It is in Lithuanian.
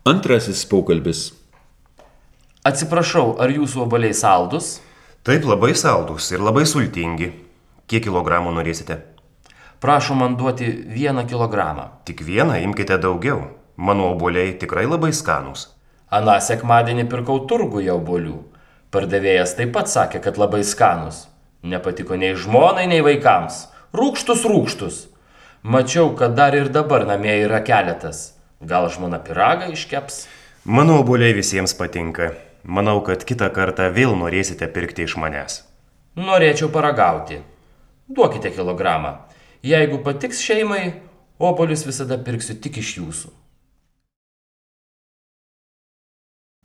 Antrasis pokalbis. Atsiprašau, ar jūsų obuoliai saldus? Taip, labai saldus ir labai sultingi. Kiek kilogramų norėsite? Prašom man duoti 1 kilogramą. Tik vieną, imkite daugiau. Mano obuoliai tikrai labai skanūs. Aną sekmadienį pirkau turguje obuolių. Pardavėjas taip pat sakė, kad labai skanus. Nepatiko nei žmonai, nei vaikams. Rūgštus. Mačiau, kad dar ir dabar namie yra keletas. Gal žmona pyragą iškeps? Mano obuoliai visiems patinka. Manau, kad kitą kartą vėl norėsite pirkti iš manęs. Norėčiau paragauti. Duokite kilogramą. Jeigu patiks šeimai, obuolius visada pirksiu tik iš jūsų.